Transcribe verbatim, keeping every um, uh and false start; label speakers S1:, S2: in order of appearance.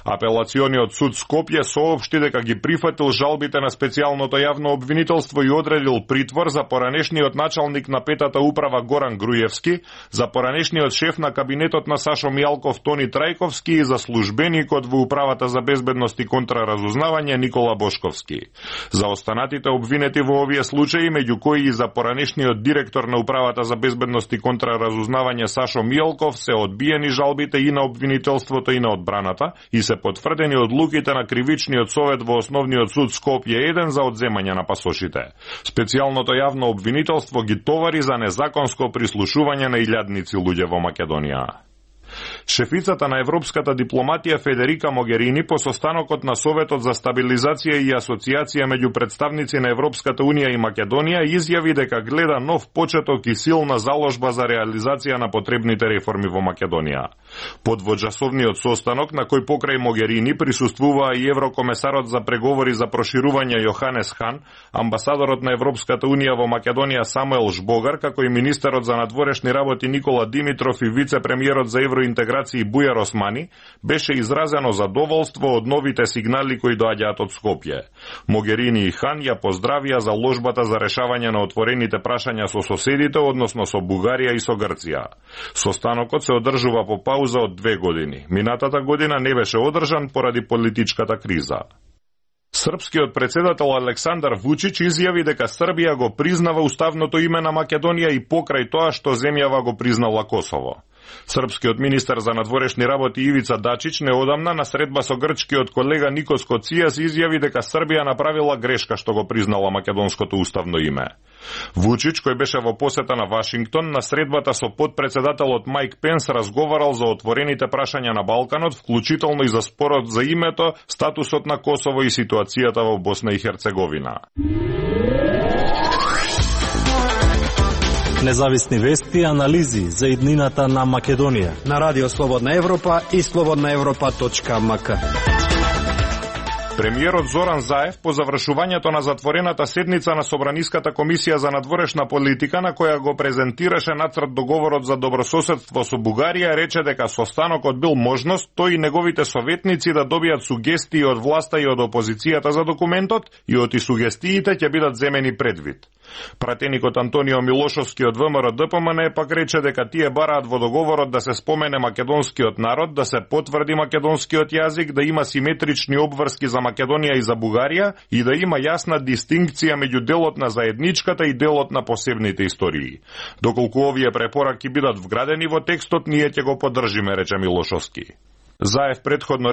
S1: Апелациониот суд Скопје соопшти дека ги прифатил жалбите на специјалното јавно обвинителство и одредил притвор за поранешниот началник на петата управа Горан Груевски, за поранешниот шеф на кабинетот на Сашо Мијалков Тони Трајковски и за службеникот во управата за безбедност и контраразузнавање Никола Бошковски. За останатите обвинети во овие случаи, меѓу кои и за поранешниот директор на управата за безбедност и контраразузнавање Сашо Мијалков, се одбиени жалбите и на обвинителството и на одбраната и се потврдени одлуките на кривичниот совет во Основниот суд Скопје еден за одземање на пасошите. Специјалното јавно обвинителство ги товари за незаконско прислушување на илјадници луѓе во Македонија. Шефицата на европската дипломатија Федерика Могерини по состанокот на Советот за стабилизација и асоциација меѓу представници на Европската унија и Македонија изјави дека гледа нов почеток и силна заложба за реализација на потребните реформи во Македонија. Под двочасовниот состанок, на кој покрај Могерини присуствуваа и еврокомесарот за преговори за проширување Јоханес Хан, амбасадорот на Европската унија во Македонија Самуел Жбогар, како и министерот за надворешни работи Никола Димитров и вице-премиерот за евроинтеграција Бујар Османи, беше изразено задоволство од новите сигнали кои доаѓаат од Скопје. Могерини и Хан ја поздравија заложбата за решавање на отворените прашања со соседите, односно со Бугарија и со Грција. Состанокот се одржува по пауза од две години. Минатата година не беше одржан поради политичката криза. Српскиот председател Александар Вучич изјави дека Србија го признава уставното име на Македонија и покрај тоа што земјава го признала Косово. Српскиот министер за надворешни работи Ивица Дачич неодамна на средба со грчкиот колега Никос Коцијас изјави дека Србија направила грешка што го признала македонското уставно име. Вучич, кој беше во посета на Вашингтон, на средбата со подпредседателот Мајк Пенс разговарал за отворените прашања на Балканот, вклучително и за спорот за името, статусот на Косово и ситуацијата во Босна и Херцеговина.
S2: Независни вести и анализи за иднината на Македонија
S3: на Радио Слободна Европа и слободна европа точка ем ка.
S1: Премиерот Зоран Заев по завршувањето на затворената седница на Собраниската комисија за надворешна политика, на која го презентираше нацрт договорот за добрососедство со Бугарија, рече дека состанокот бил можност тој и неговите советници да добијат сугестии од власта и од опозицијата за документот и оти сугестиите ќе бидат земени предвид. Пратеникот Антонио Милошовски од ВМРО Д П М Н пак рече дека тие бараат во договорот да се спомене македонскиот народ, да се потврди македонскиот јазик, да има симетрични обврски за Македонија и за Бугарија и да има јасна дистинкција меѓу делот на заедничката и делот на посебните истории. Доколку овие препораки бидат вградени во текстот, ние ќе го поддржиме, рече Милошовски. Заев предходно